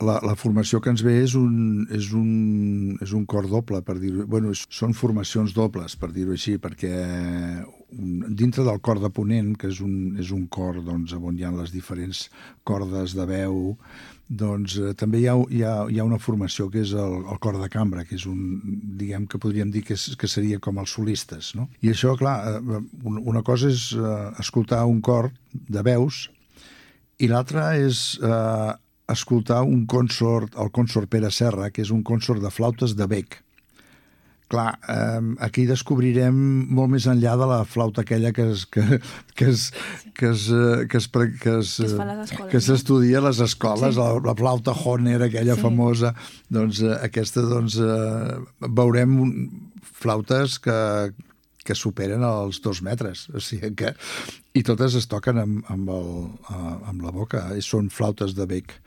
La formació que ens ve és un cor doble, per dir-ho. Bueno, són formacions dobles, per dir-ho així, perquè dintre del cor de ponent, que és un cor doncs, on hi ha les diferents cordes de veu, doncs també hi ha una formació que és el cor de cambra, que és diguem que podríem dir que seria com els solistes, no? I això, clar, una cosa és escoltar un cor de veus i l'altra és escoltar un consort, el consort Pere Serra, que és un consort de flautes de bec. Clar, aquí descobrirem molt més enllà de la flauta aquella que s'estudia a les escoles, Sí. la flauta Hohner, aquella famosa, doncs aquesta, veurem flautes que superen els 2 metres, o sigui que, i totes es toquen amb la boca, són flautes de bec.